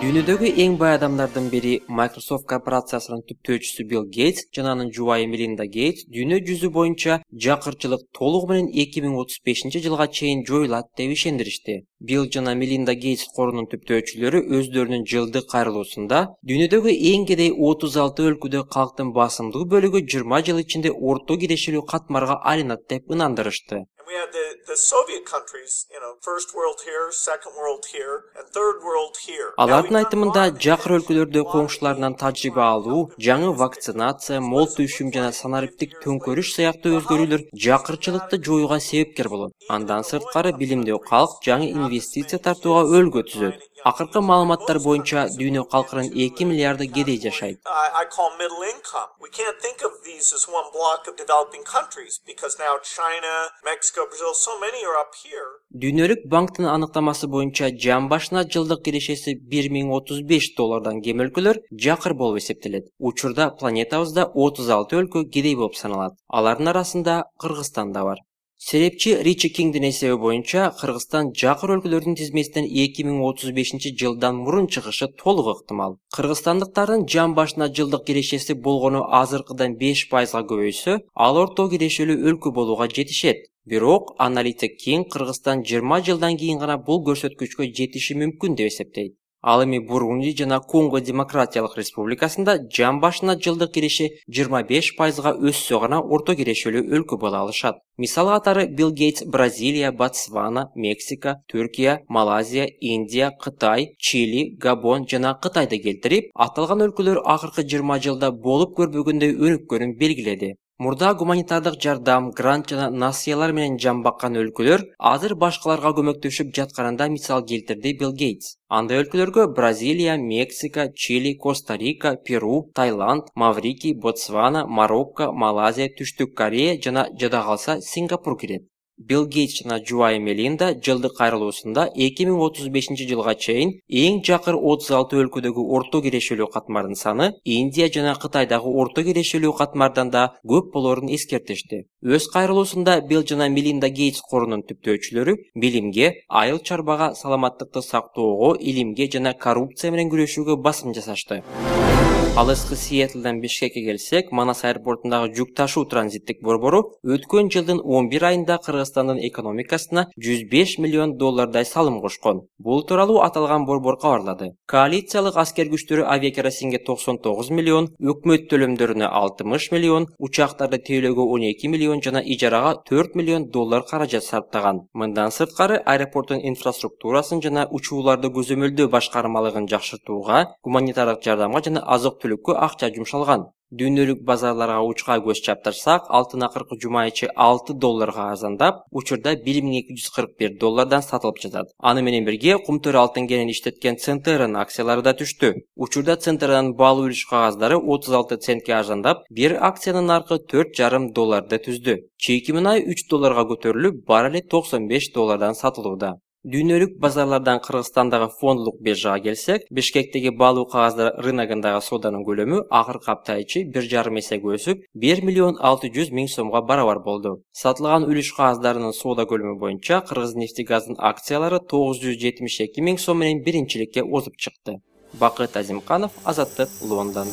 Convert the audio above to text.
Дүйнөдөгү эң бай адамдардын бири Microsoft корпорациясынын түптөөчүсү Билл Гейтс жана анын жубайы Мелинда Гейтс дүйнө жүзү боюнча жакырчылык толугу менен 2035-жылга чейин жоюлат деп ишендиришти. Билл жана Мелинда Гейтс корунун түптөөчүлөрү өздөрүнүн жылдык кайрылуусунда дүйнөдөгү эң кедей 36 өлкөдө калктын басымдуу бөлүгү 20 жыл ичинде орто кирешелүү катмарга айланат деп ынандырышты. We had the Soviet countries, first world here, second world here, and third world here. Алардын айтымында жакыр өлкөлөрдө коңшуларынан тажрыйба алуу, жаңы вакцинация, мол түшүм жана санариптик төңкөрүш сыяктуу өзгөрүүлөр жакырчылыкты жоюуга себепкер болот. Андан сырткары билимдүү калк жаңы инвестиция тартууга өлгө түзөт. Акыркы маалыматтар боюнча дүйнө калкынын 2 миллиарды кедей жашайт. I call middle income. We can't think of these as one block of developing countries because now China, Mexico, Brazil, so many are up here. Дүйнөлүк банктын аныктамасы боюнча жан башына жылдык кирешеси $1035 кем өлкөлөр жакыр болуп эсептелет. Учурда планетабызда 36 өлкө кедей болуп саналат. Алардын арасында Кыргызстан да бар. Серепчи Ричи Кингдин эсеби боюнча Кыргызстан жакыр өлкөлөрдүн тизмесинен 2035-жылдан мурун чыгышы толук ыктымал. Кыргызстандыктардын жан башына жылдык кирешеси болгону азыркыдан 5%га көбөйсө, ал орто кирешелүү өлкө болууга жетишет. Бирок аналитик Кинг Кыргызстан 20 жылдан кийин гана бул көрсөткүчкө жетиши мүмкүн деп эсептейт. Ал эми Бурунди жана Конго Демократиялык Республикасында жан башына жылдык киреше 25%га өссө гана орто кирешелүү өлкө боло алышат. Мисал катары Билл Гейтс Бразилия, Ботсвана, Мексика, Түркия, Малайзия, Индия, Кытай, Чили, Габон жана Кытайды келтирип, аталган өлкөлөр акыркы 20 жылда болуп көрбөгөндөй өнүккөнүн белгиледи. Мурда гуманитардык жардам, грант жана насыялар менен жан баккан өлкөлөр азыр башкаларга көмөктөшүп жатканында мисал келтирди Билл Гейтс. Андай өлкөлөргө Бразилия, Мексика, Чили, Коста-Рика, Перу, Таиланд, Маврикий, Ботсвана, Марокко, Малайзия, Түштүк Корея жана жада калса Сингапур кирет. Билл Гейтс жана жубайы Мелинда жылдык кайрылуусунда 2035-жылга чейин эң жакыр 36 өлкөдөгү орто кирешелүү катмардын саны Индия жана Кытайдагы орто кирешелүү катмардан да көп болорун эскертишти. Өз кайрылуусунда Билл жана Мелинда Гейтс корунун түптөөчүлөрү билимге, айыл чарбага, саламаттыкты сактоого, илимге жана коррупция менен күрөшүүгө басым жасашты. Алыскы Сиэтлден Бишкекке келсек, Манас аэропортундагы жүк ташуу транзиттик борбору өткөн жылдын 11 айында Кыргызстандын экономикасына $105 миллион салым кошкон. Бул тууралуу аталган борбор кабарлады. Коалициялык аскер күчтөрү авиакеросинге 99 миллион, өкмөт төлөмдөрүнө 60 миллион, учактарды тейлөөгө 12 миллион жана ижарага $4 миллион каражат сарптаган. Мындан сырткары аэропорттун инфраструктурасын жана учууларды көзөмөлдөө башкармалыгын жакшыртууга, гуманитардык жардамга жана азык-түлүккө акча жумшалган. Дүйнөлүк базарларга учка көз чаптырсак, алтын акыркы жума ичи $6 арзандап, учурда $1241 сатылып жатат. Аны менен бирге кумтөр алтын кенин иштеткен Центеранын акциялары да түштү. Учурда Центеранын баалуу үлүш кагаздары 36 центке арзандап, бир акциянын наркы $4,5 түздү. Чийки мунай $3 көтөрүлүп, баррели $95 сатылууда. Дүйнөлүк базарлардан Кыргызстандагы фондулук биржага келсек, Бишкектеги баалуу кагаздар рыногундагы сооданын көлөмү акыркы апта ичи 1,5 эсеге өсүп, 1,6 миллион сомго барабар болду. Сатылган үлүш кагаздарынын соода көлөмү боюнча Кыргыз-нефтегаздын акциялары 972 миң сом менен биринчиликке озуп чыкты. Бакыт Азимканов, Азаттык, Лондон.